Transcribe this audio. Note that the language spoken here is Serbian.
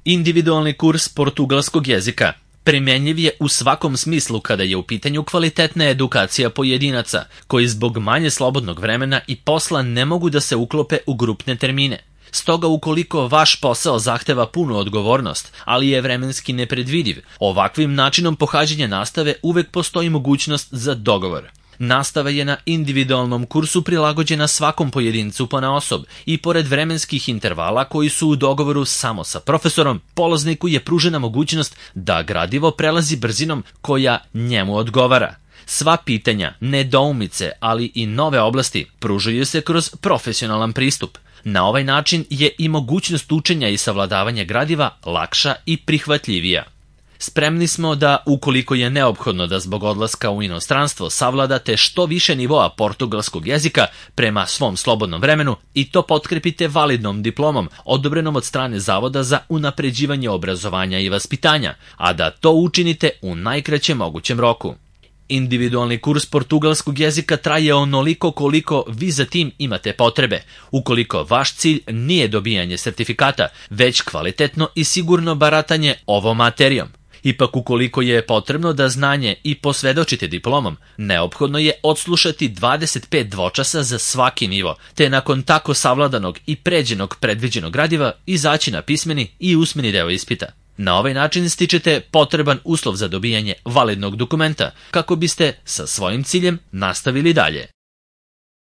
Individualni kurs portugalskog jezika primenjiv je u svakom smislu kada je u pitanju kvalitetna edukacija pojedinaca, koji zbog manje slobodnog vremena i posla ne mogu da se uklope u grupne termine. Stoga ukoliko vaš posao zahteva punu odgovornost, ali je vremenski nepredvidiv, ovakvim načinom pohađanja nastave uvek postoji mogućnost za dogovor. Nastava je na individualnom kursu prilagođena svakom pojedincu ponaosob i pored vremenskih intervala koji su u dogovoru samo sa profesorom, polazniku je pružena mogućnost da gradivo prelazi brzinom koja njemu odgovara. Sva pitanja, nedoumice, ali i nove oblasti pružaju se kroz profesionalan pristup. Na ovaj način je i mogućnost učenja i savladavanja gradiva lakša i prihvatljivija. Spremni smo da, ukoliko je neophodno da zbog odlaska u inostranstvo savladate što više nivoa portugalskog jezika prema svom slobodnom vremenu i to potkrepite validnom diplomom odobrenom od strane Zavoda za unapređivanje obrazovanja i vaspitanja, a da to učinite u najkraćem mogućem roku. Individualni kurs portugalskog jezika traje onoliko koliko vi za tim imate potrebe, ukoliko vaš cilj nije dobijanje sertifikata, već kvalitetno i sigurno baratanje ovom materijom. Ipak ukoliko je potrebno da znanje i posvedočite diplomom, neophodno je odslušati 25 dvočasa za svaki nivo, te nakon tako savladanog i pređenog predviđenog gradiva izaći na pismeni i usmeni deo ispita. Na ovaj način stičete potreban uslov za dobijanje validnog dokumenta kako biste sa svojim ciljem nastavili dalje.